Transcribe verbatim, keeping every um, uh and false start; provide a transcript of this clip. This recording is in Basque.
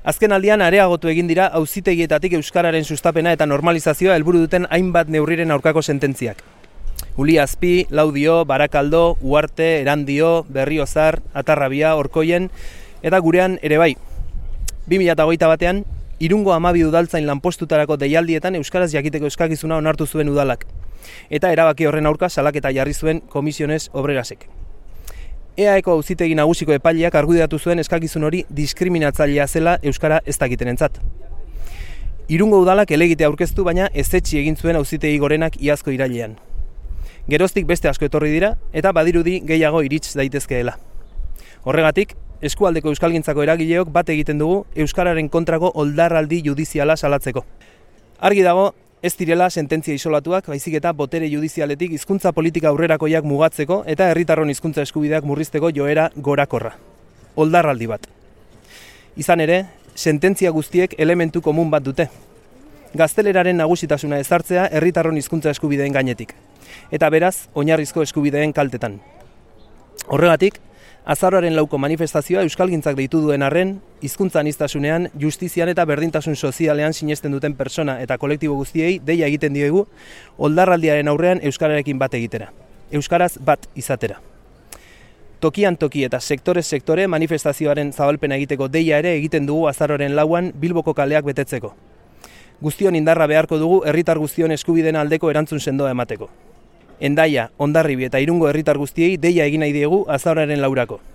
Azken aldian areagotu egin dira auzitegietatik euskararen sustapena eta normalizazioa helburu duten hainbat neurriren aurkako sententziak. Uliazpi, Laudio, Barakaldo, Uarte, Erandio, Berriozar, Atarrabia, Orkoien eta gurean ere bai. bi mila hogeita batean, Irungo hamabi udaltzain lanpostutarako deialdietan euskaraz jakiteko eskakizuna onartu zuen udalak. Eta erabaki horren aurka salaketa jarri zuen Komisiones Obrerasek. E A Eko auzitegi nagusiko epaileak argudiatu zuen eskakizun hori diskriminatzailea zela euskara ez dakitenentzat. Irungo udalak helegite aurkeztu, baina ezetsi egin zuen auzitegi gorenak iazko irailean. Geroztik beste asko etorri dira eta badirudi gehiago irits daitezkeela. Horregatik, eskualdeko euskalgintzako eragileok bat egiten dugu euskararen kontrako oldarraldi judiziala salatzeko. Argi dago, ez direla sententzia isolatuak, baizik eta botere judizialetik hizkuntza politika aurrerakoiak mugatzeko eta herritarron hizkuntza eskubideak murrizteko joera gorakorra. Oldarraldi bat. Izan ere, sententzia guztiek elementu komun bat dute. Gazteleraren nagusitasuna ezartzea herritarron hizkuntza eskubideen gainetik. Eta beraz, oinarrizko eskubideen kaltetan. Horregatik, azaroaren lauko manifestazioa euskalgintzak deitu duen arren, hizkuntza aniztasunean, justizian eta berdintasun sozialean sinesten duten persona eta kolektibo guztiei deia egiten diegu oldarraldiaren aurrean euskararekin bat egitera. Euskaraz bat izatera. Tokian toki eta sektorez sektore manifestazioaren zabalpena egiteko deia ere egiten dugu azaroaren lauan Bilboko kaleak betetzeko. Guztion indarra beharko dugu herritar guztion eskubideen aldeko erantzun sendoa emateko. Hendaia, Hondarribi eta Irungo herritar guztiei deia egin nahi diegu azaroaren laurako.